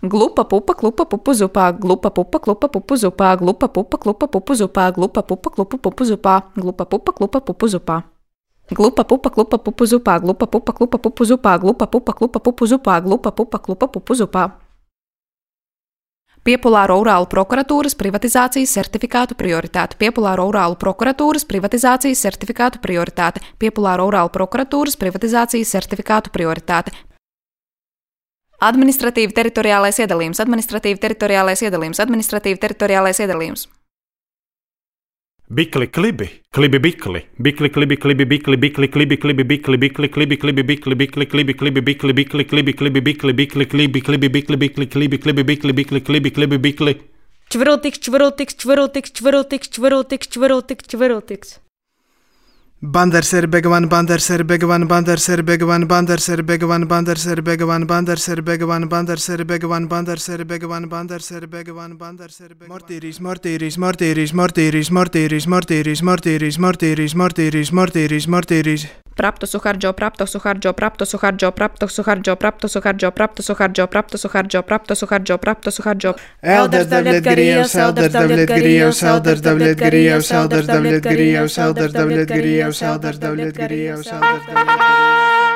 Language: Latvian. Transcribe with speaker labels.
Speaker 1: Glupa pupa klupa pupu zupā, glupa pupa klupa pupu zupā, glupa pupa klupa pupu zupā, glupa pupa klupa pupu zupā, glupa pupa klupa pupu zupā. Glupa pupa klupa pupu zupā, glupa pupa klupa pupu zupā, glupa pupa klupa pupu zupā, glupa pupa klupa pupu zupā. Piepulāro Urālu prokuratūras privatizācijas certifikātu prioritāte. Piepulāro Urālu prokuratūras privatizācijas certifikātu prioritāte. Piepulāro Urālu prokuratūras privatizācijas certifikātu prioritāte. Administratīvi teritoriālais iedalījums. Administratīvi teritoriālais iedalījums. Administratīvi teritoriālais iedalījums.
Speaker 2: Bikli klibi, klibi bikli, bikli klibi klibi bikli, bikli klibi klibi bikli, bikli klibi klibi bikli, bikli klibi klibi bikli, bikli klibi klibi bikli, bikli klibi klibi bikli, bikli klibi klibi bikli, bikli klibi klibi bikli.
Speaker 3: Čvirultiks, čvirultiks, čvirultiks, čvirultiks, čvirultiks, čvirultiks, čvirultiks.
Speaker 4: Bandarser begavan, bandarser begavan, bandarser begavan, bandarser begavan, bandarser begavan, bandarser begavan, bandarser begavan, bandarser begavan, bandarser begavan, bandarser begavan. Mortīris, mortīris, mortīris, mortīris, mortīris, mortīris, mortīris, mortīris, mortīris, mortīris, mortīris.
Speaker 1: Prapto suhardžo, prapto suhardžo, prapto suhardžo, prapto suhardžo, prapto suhardžo, prapto suhardžo, prapto suhardžo, prapto suhardžo, prapto suhardžo.
Speaker 4: Elders Davlet Grijevs, Elders Davlet Grijevs, Elders Davlet Grijevs, Elders Davlet Grijevs, Elders Davlet Grijevs, Elders Davlet Grijevs, Elders Davlet Grijevs.